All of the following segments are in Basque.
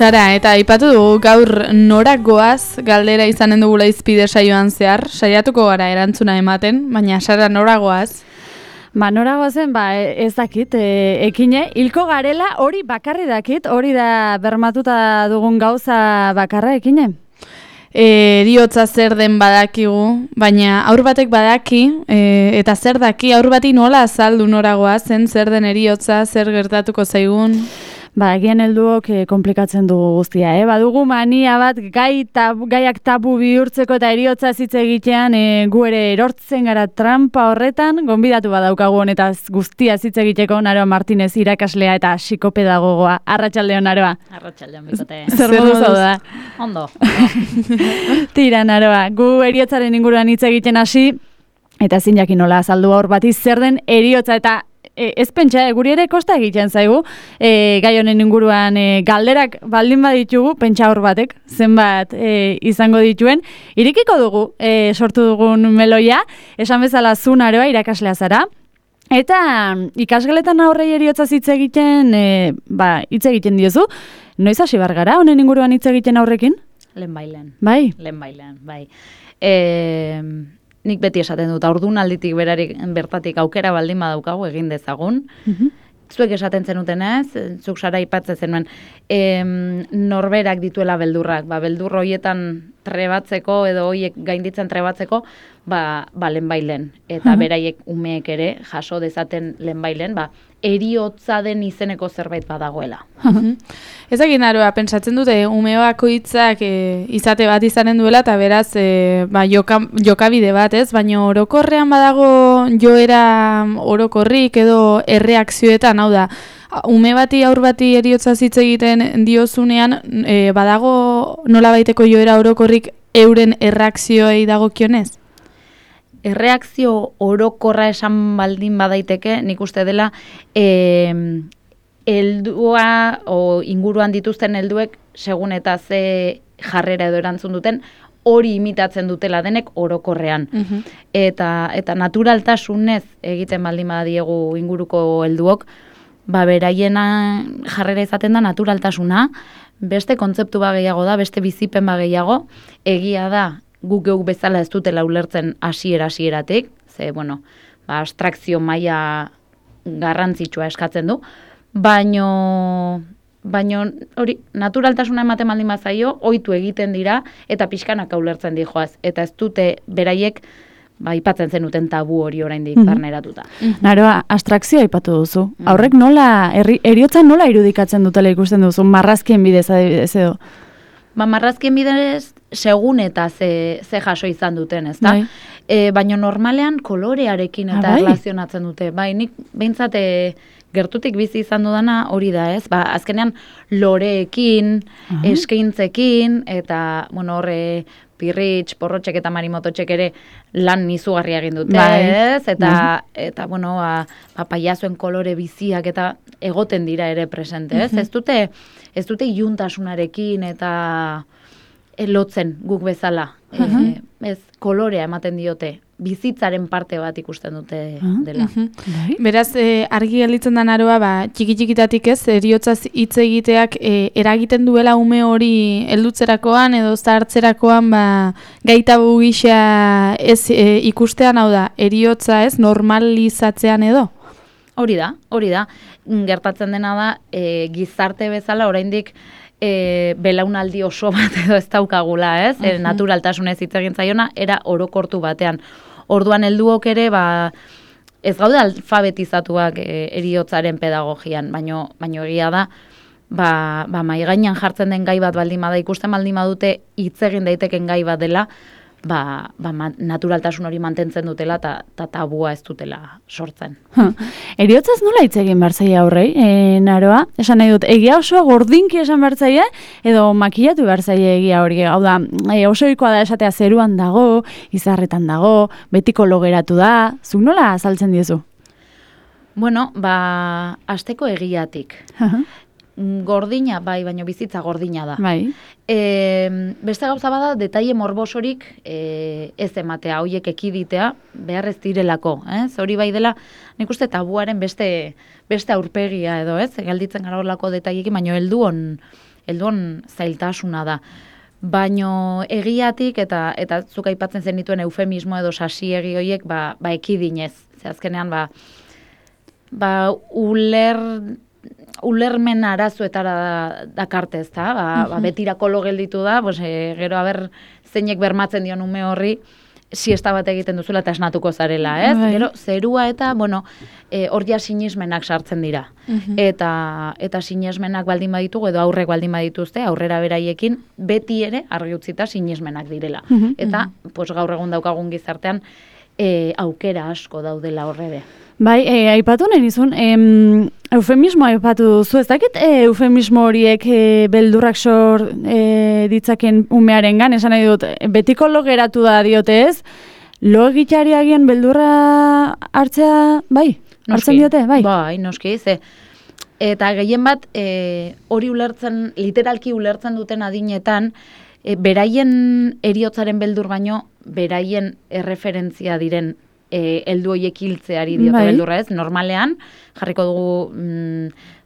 Sara, eta aipatu dugu gaur norak goaz galdera izanen dugula izpide saioan zehar, saiatuko gara erantzuna ematen, baina Sara nora goaz? Nora goazen, ez dakit, ekine, hilko garela hori bakarri dakit, hori da bermatuta dugun gauza bakarra ekine? Eriotza zer den badakigu, baina aur batek badaki, eta zer daki, aur bati nola azaldu nora goazen, zer den eriotza, zer gertatuko zaigun? Egian helduok komplikatzen dugu guztia, badugu mania bat gaiak tabu bihurtzeko eta eriotza hitz egitean gu ere erortzen gara trampa horretan, gonbidatu badaukagu honetaz guztia hitz egiteko Naroa Martinez irakaslea eta psikopedagogoa. Arratsaldeon Naroa. Arratsaldeon bikote. Zer modu da? Ondo. Tira Naroa, gu eriotzaren inguruan hitz egiten hasi eta ezin jakin nola azaldu aur bati zer den eriotza eta ez pentsa, guri ere kosta egiten zaigu, gai honen inguruan galderak baldin baditugu, pentsa hor batek, zenbat izango dituen. Irekiko dugu, sortu dugun meloia, esan bezala zu Naroa irakaslea zara, eta ikasgeletan aurrei eriotza hitz egiten, hitz egiten diozu, noiz hasi bar gara honen inguruan hitz egiten aurrekin? Lehenbailen. Bai? Lehenbailen, bai. Nik beti esaten dut, haurdunalditik bertatik aukera baldin badaukagu egin dezagun. Zuek esaten zenutenez, zuk Sara aipatzen zenuen, norberak dituela beldurrak, beldur horietan trebatzeko edo hoiek gainditzen trebatzeko, lehenbailen. Eta beraiek umeek ere jaso dezaten lehenbailen, eriotza den izeneko zerbait badagoela. Ezagin Naroa, pentsatzen dute umeoako hitzak izate bat izanen duela eta beraz jokabide bat, ez? Baina orokorrean badago joera orokorrik edo erreakzioetan, hau da, ume bati aur bati eriotza hitz egiten diozunean badago nolabaiteko joera orokorrik euren erreakzioei dagokionez? Erreakzio orokorra esan baldin badaiteke, nik uste dela heldua o inguruan dituzten helduek segun eta ze jarrera edo erantzun duten, hori imitatzen dutela denek orokorrean. Eta naturaltasunez egiten baldin badiegu inguruko helduok, beraiena jarrera izaten da naturaltasuna, beste kontzeptu gehiago da, beste bizipen gehiago, egia da, guk geuk bezala ez dutela ulertzen hasieratik, ze, abstrakzio maila garrantzitsua eskatzen du, baino hori, naturaltasuna ematen baldin bazaio, ohitu egiten dira, eta pixkanaka ulertzen dijoaz, eta ez dute beraiek, aipatzen zenuten tabu hori oraindik barneratuta. Naroa, abstrakzioa aipatu duzu. Aurrek nola, eriotza nola irudikatzen dutela ikusten duzu, marrazkien bidez adibidez edo? Marrazkien bidez, segun eta ze jaso izan duten, ez da? Baina normalean kolorearekin eta relazionatzen dute. Nik behintzat gertutik bizi izan dudana hori da, ez? Azkenean loreekin, eskaintzekin, eta horre pirritx, porrotxek eta marimototxek ere lan izugarria egin dute, ez? Eta paiazuen kolore biziak eta egoten dira ere presente, ez? Ez dute iluntasunarekin eta lotzen guk bezala. Ez, kolorea ematen diote, bizitzaren parte bat ikusten dute dela. Beraz, argi gelditzen da Naroa, txiki-txikitatik ez, eriotzaz hitz egiteak eragiten duela ume hori heldutzerakoan edo zahartzerakoan gaitabu gisa ez ikustean, hau da, eriotza ez, normalizatzean edo? Hori da. Gertatzen dena da, gizarte bezala oraindik belaunaldi oso bat edo ez daukagula, ez? Naturaltasunez hitz egin zaiona, era orokortu batean. Orduan helduok ere, ez gaude alfabetizatuak eriotzaren pedagogian, baino egia da, mahai gainean jartzen den gai bat baldin bada, ikusten baldin badute hitz egin daiteken gai bat dela, naturaltasun hori mantentzen dutela eta tabua ez dutela sortzen. Eriotzaz nola hitz egin behar zaia aurrei, Naroa? Esan nahi dut, egia osoa gordinki esan behar zaia, edo makillatu behar zaia egia hori? Hau da, osoikoa da esatea zeruan dago, izarretan dago, betiko logeratu da, zuk nola azaltzen diezu? Asteko egiatik. Gordina, baina bizitza gordina da. Beste gauza bada, detaile morbosorik ez ematea, hoiek ekiditea, behar ez direlako. Hori bai dela, nik uste tabuaren beste aurpegia edo, ez? Galditzen gara horlako detailekin, baina helduen zailtasuna da. Baino egiatik eta zuk aipatzen zenituen eufemismo edo sasiegi horiek ekidinez. Ze azkenean ulermen arazoetara dakarte, ezta? Betirako lo gelditu da, gero zeinek bermatzen dion ume horri siesta bat egiten duzula eta esnatuko zarela, ez? Gero zerua eta hor ja sinismenak sartzen dira. Eta sinismenak baldin baditugu edo aurrek baldin badituzte, aurrera beraiekin beti ere argi utzita sinismenak direla. Eta gaur egun daukagun gizartean aukera asko daudela horrebe. Bai, aipatu nahi nizun, eufemismo aipatu duzu, ez dakit eufemismo horiek beldurrak sor ditzaken umearengan, esan nahi dut, betiko lo geratu da diote ez, lo egiteari agian beldurra hartzea, bai, hartzen diote, bai? Bai, noski, eta gehien bat hori literalki ulertzen duten adinetan, beraien heriotzaren beldur baino, beraien erreferentzia diren heldu horiek hiltzeari diote beldurra ez, normalean, jarriko dugu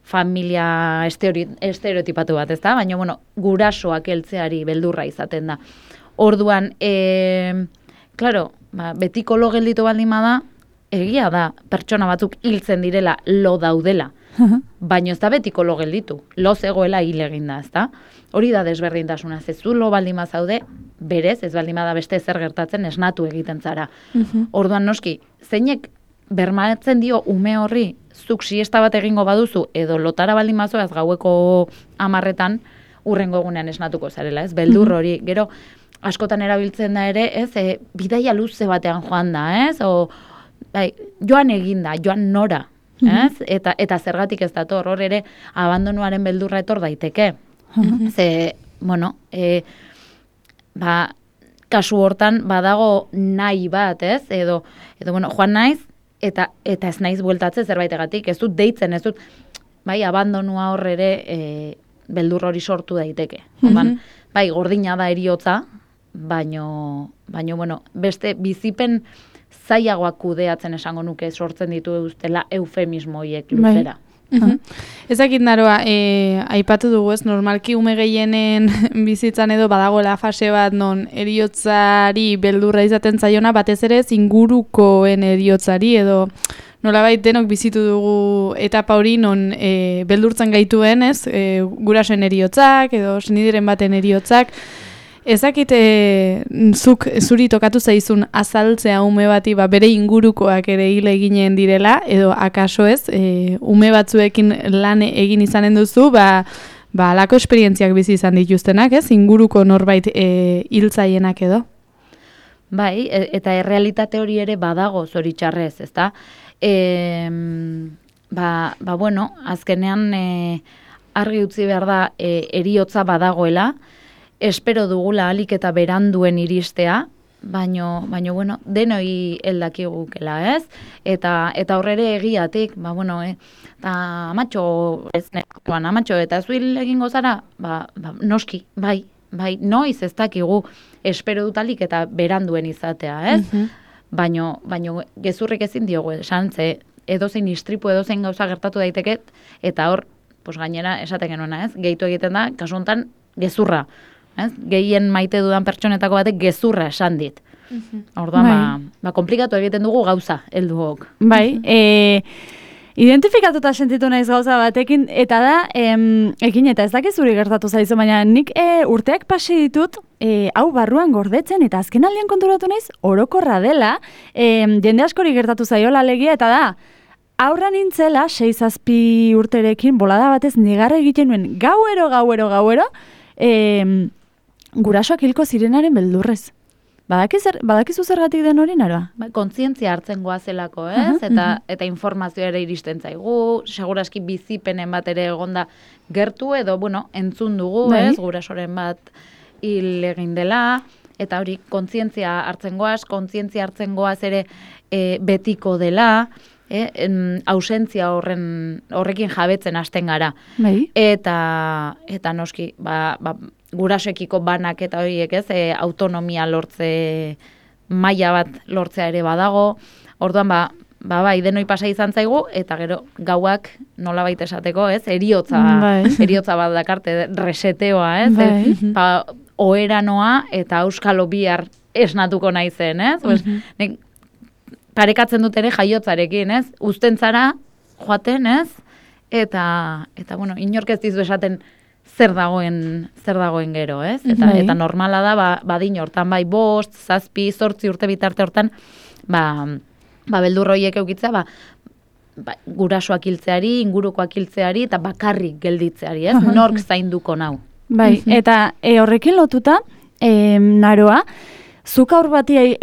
familia estereotipatu bat, ezta? Baina, gurasoak heltzeari beldurra izaten da. Orduan, claro, betiko lo gelditu baldin bada, egia da, pertsona batzuk hiltzen direla, lo daudela. Baina ez da betiko lo gelditu, lo zegoela hil eginda, ezta? Hori da desberdintasuna, zezu lo baldin bazaude, berez, ez baldin bada beste zer gertatzen esnatu egiten zara. Orduan noski, zeinek bermatzen dio ume horri, zuk siesta bat egingo baduzu, edo lotara baldin bazoaz gaueko 10etan, urrengo egunean esnatuko zarela, ez? Beldur hori, gero, askotan erabiltzen da ere, ez? Bidaia luze batean joan da, ez? Joan eginda, joan nora, ez? Eta zergatik ez dator, hor ere, abandonuaren beldurra etor daiteke. Ze, kasu hortan badago nahi bat, ez? Edo joan naiz, eta ez naiz bueltatze zerbaitegatik, ez dut deitzen, ez dut, abandonua hor ere beldur hori sortu daiteke. Bai, gordina da heriotza, baino, beste bizipen zailagoak kudeatzen esango nuke sortzen dituztela eufemismo horiek luzera. Ezakit naroa, aipatu dugu ez, normalki ume gehienen bizitzan edo badagoela fase bat non heriotzari beldurra izaten zaiona, batez ere ingurukoen heriotzari edo nolabait denok bizitu dugu etapa hori non beldurtzen gaituen ez, gurasoen heriotzak edo senidiren baten heriotzak. Ezakit zuri tokatu zaizun azaltzea ume bati bere ingurukoak ere hil eginen direla, edo akaso ez, ume batzuekin lan egin izanen duzu, alako esperientziak bizi izan dituztenak, ez, inguruko norbait hiltzaienak edo. Bai, eta errealitate hori ere badago zoritxarrez, ezta? Azkenean argi utzi behar da heriotza badagoela, espero dugula ahalik eta beranduen iristea, baino denoi heldakigukela, ez? Eta horrere egiatik, amatxo, eta zuil egingo zara, noski, bai, noiz ez dakigu espero dut ahalik eta beranduen izatea, ez? Baino gezurrik ezin diogu, esan, ze edozein istripu, edozein gauza gertatu daiteket, eta hor, gainera, esaten genuena, ez? Gehitu egiten da, kasu honetan, gezurra. Gehien maite dudan pertsonetako batek gezurra esan dit. Orduan, komplikatu egiten dugu gauza, helduok. Bai, identifikatuta sentitu naiz gauza batekin, eta da, ekin eta ez dakizuri gertatu zaizu, baina nik urteak pasi ditut, hau barruan gordetzen, eta azken aldean konturatu naiz, orokorra dela, jende askori gertatu zaiola alegia, eta da, aurra nintzela, 6-7 urterekin, bolada batez negarra egiten nuen, gauero, gurasoak hilko zirenaren beldurrez. Badakizu zergatik den hori naroa? Kontzientzia hartzen goazelako, ez? Eta informazioa ere iristen zaigu, seguraski bizipenen bat ere egonda gertu edo, entzun dugu, ez? Gurasoren bat hil egin dela, eta hori kontzientzia hartzen goaz ere betiko dela, ausentzia horrekin jabetzen hasten gara. Eta noski, gurasoekiko banak eta horiek ez, autonomia lortze maila bat lortzea ere badago. Orduan, bai, denoi pasa izan zaigu, eta gero gauak nolabait esateko, ez? Eriotza bat dakarte, reseteoa, ez? Oheranoa eta auskalo bihar esnatuko naizen, ez? Nek parekatzen dut ere jaiotzarekin, ez? Uzten zara, joaten, ez? Eta bueno, inork ez dizu esaten zer dagoen gero, ez? Eta normala da, badin hortan, bai, 5, 7, 8 urte bitarte hortan, beldur horiek eukitzea, gurasoak hiltzeari, ingurukoak hiltzeari, eta bakarrik gelditzeari, ez? Nork zainduko nau. Bai, eta horrekin lotuta, Naroa, zuk aur bati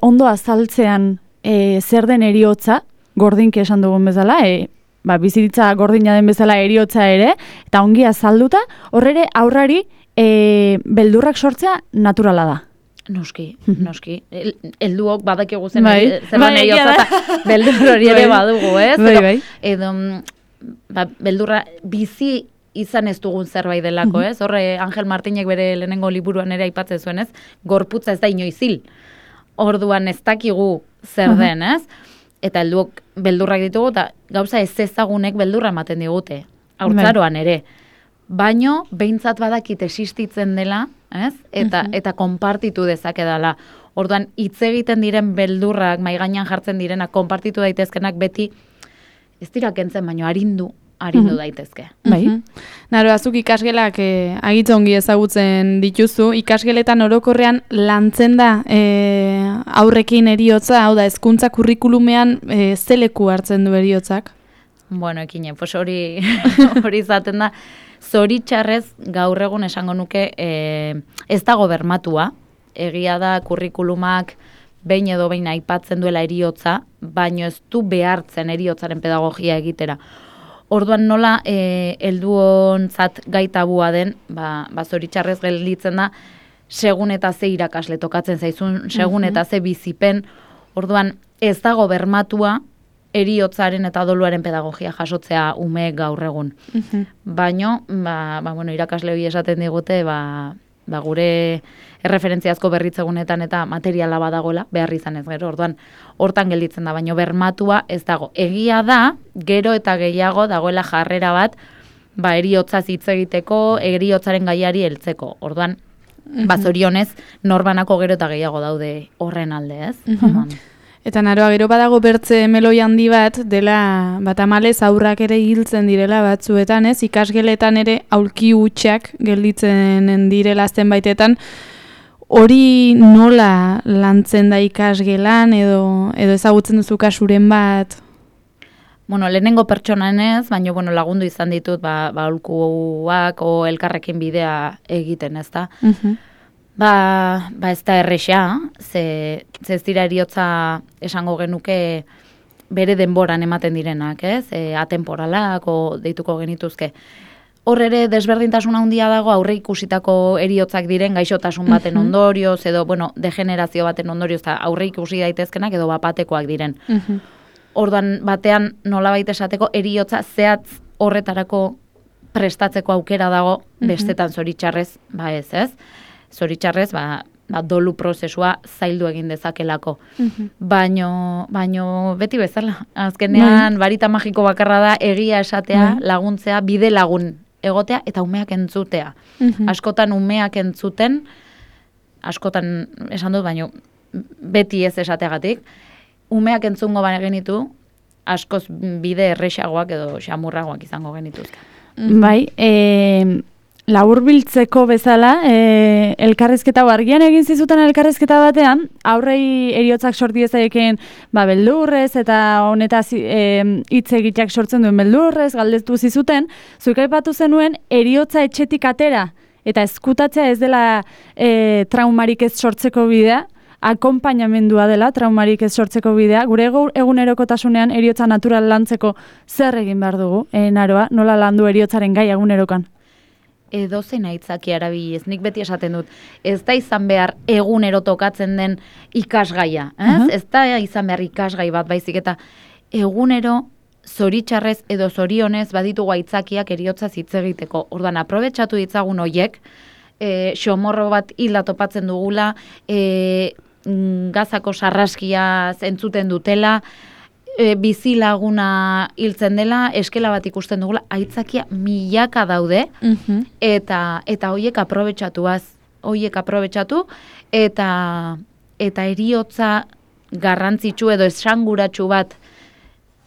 ondo azaltzean zer den eriotza, gordinki esan dugun bezala, bizitza gordina den bezala eriotza ere, eta ongi azalduta, horrere aurrari beldurrak sortzea naturala da. Noski. Helduok badakigu zen eriotza, eta beldur hori ere badugu, ez? Edo, beldurra bizi izan ez dugun zerbait delako, ez? Horre, Angel Martinek bere lehenengo liburuan ere aipatzen zuen, ez? Gorputza ez da inoiz hil. Orduan ez dakigu zer den, ez? Eta helduok beldurrak ditugu, eta gauza ez ezagunek beldurra ematen digute. Haurtzaroan ere. Baino, behintzat badakit existitzen dela, ez? Eta konpartitu dezakedala. Orduan, hitz egiten diren beldurrak, mai gainean jartzen direnak, konpartitu daitezkenak beti, ez dira kentzen, baino arindu daitezke. Bai. Naro, azuk ikasgelak agitza ongi ezagutzen dituzu, ikasgeletan orokorrean lantzen da aurrekin eriotza, hau da, hezkuntza kurrikulumean ze leku hartzen du eriotzak? Bueno, ekine, pues hori izaten da, zoritxarrez gaur egun esango nuke ez dago bermatua, egia da kurrikulumak behin edo behin aipatzen duela eriotza, baino ez du behartzen eriotzaren pedagogia egitera. Orduan nola helduontzat gai tabua den, zoritxarrez gelditzen da, segun eta ze irakasle tokatzen zaizun, segun eta ze bizipen, orduan ez dago bermatua eriotzaren eta doluaren pedagogia jasotzea umeek gaur egun. Baino, irakasle hori esaten digute, gure erreferentziazko berritzegunetan eta materiala badagoela, behar izan ez gero, orduan hortan gelditzen da, baino bermatua ez dago. Egia da, gero eta gehiago dagoela jarrera bat, eriotzaz hitz egiteko, eriotzaren gaiari heltzeko. Orduan, zorionez, norbanako gero eta gehiago daude horren alde, ez? Eta Naroa, gero badago bertze meloi handi bat, dela tamalez aurrak ere hiltzen direla batzuetan, ez? Ikasgeletan ere aulki hutsak gelditzen direla zenbaitetan, hori nola lantzen da ikasgelan edo ezagutzen duzu kasuren bat? Bueno, lehenengo pertsonan ez, baina lagundu izan ditut aulkuak o elkarrekin bidea egiten, ez da? Ez da erresa, ze ez dira eriotza esango genuke bere denboran ematen direnak, ez? Atemporalak o deituko genituzke. Hor ere desberdintasun handia dago aurre ikusitako eriotzak diren gaixotasun baten ondorioz edo degenerazio baten ondorioz eta aurre ikusi daitezkenak edo bapatekoak diren. Orduan batean nolabait esateko eriotza zehatz horretarako prestatzeko aukera dago, bestetan zoritxarrez, ez? Zoritxarrez, dolu prozesua zaildu egin dezakelako. Baino beti bezala. Azkenean, barita magiko bakarra da egia esatea, laguntzea, bide lagun egotea eta umeak entzutea. Askotan umeak entzuten, askotan esan dut, baino beti ez esateagatik, umeak entzungo genitu, askoz bide erresagoak edo xamurragoak izango genituzke. Bai, laburbiltzeko bezala, elkarrizketa argian egin zizuten elkarrizketa batean, aurrei eriotzak sorti ezaieken beldurrez eta honetaz hitz egiteak sortzen duen beldurrez, galdetu zizuten, zuek aipatu zenuen eriotza etxetik atera eta ezkutatzea ez dela traumarik ez sortzeko bidea, akonpainamendua dela traumarik ez sortzeko bidea, gure egunerokotasunean eriotza natural lantzeko zer egin behar dugu, Naroa, nola landu eriotzaren gai egunerokan? Edozein aitzaki erabiliz, nik beti esaten dut, ez da izan behar egunero tokatzen den ikasgaia, ez da izan behar ikasgai bat baizik eta egunero zoritxarrez edo zorionez baditugu aitzakiak eriotza hitz egiteko. Orduan, aprobetxatu ditzagun hoiek, xomorro bat hilda topatzen dugula, gazako sarraskia entzuten dutela, bizilaguna hiltzen dela, eskela bat ikusten dugula, aitzakia milaka daude, eta hoiek aprobetxatu, eta heriotza garrantzitsu edo esanguratsu bat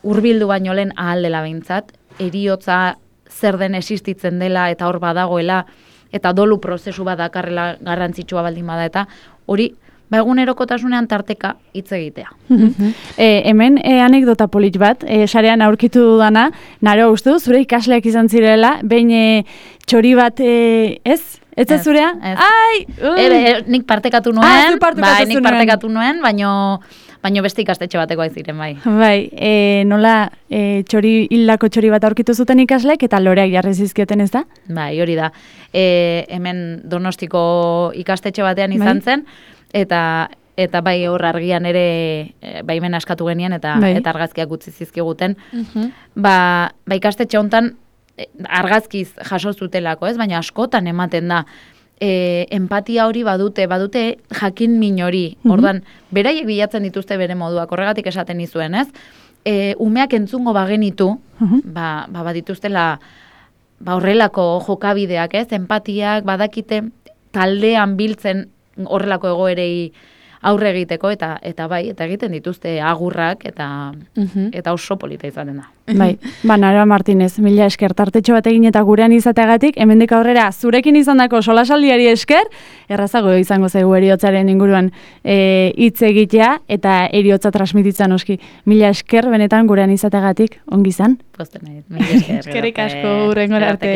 hurbildu baino lehen ahal dela behintzat, heriotza zer den existitzen dela eta hor badagoela, eta dolu prozesu bat dakarrela garrantzitsua baldin bada, eta hori, egunerokotasunean tarteka hitz egitea. Hemen anekdota polit bat, sarean aurkitu dudana, naro ustu, zure ikasleak izan zirela, behin txori bat, ez? Ez da zurea? Ai! Nik partekatu nuen, baino beste ikastetxe batekoa ziren, bai. Bai, nola hildako txori bat aurkitu zuten ikaslek eta loreak jarri zizkioten, ez da? Bai, hori da. Hemen Donostiko ikastetxe batean izan zen, eta bai hor argian ere baimen askatu genien eta argazkiak utzi zizkiguten. Ba ikastetxe hontan argazkiz jaso zutelako, ez? Baina askotan ematen da. Empatia hori badute jakin min hori. Ordan beraiek bilatzen dituzte bere moduak, horregatik esaten nizuen, ez? Umeak entzungo bagenitu, badituztela horrelako jokabideak, ez? Empatiak badakite taldean biltzen horrelako egoerei aurre egiteko, eta egiten dituzte agurrak, eta oso polita izaten da. Bai, Naroa Martinez, mila esker tartetxo bat egin eta gurean izateagatik, hemendik aurrera zurekin izandako solasaldiari esker, errazago izango zaigu heriotzaren inguruan hitz egitea, eta heriotza transmititzen oski. Mila esker benetan gurean izateagatik, ongi izan? Posten nahi, mila esker. Eskerrik asko, hurrengora arte.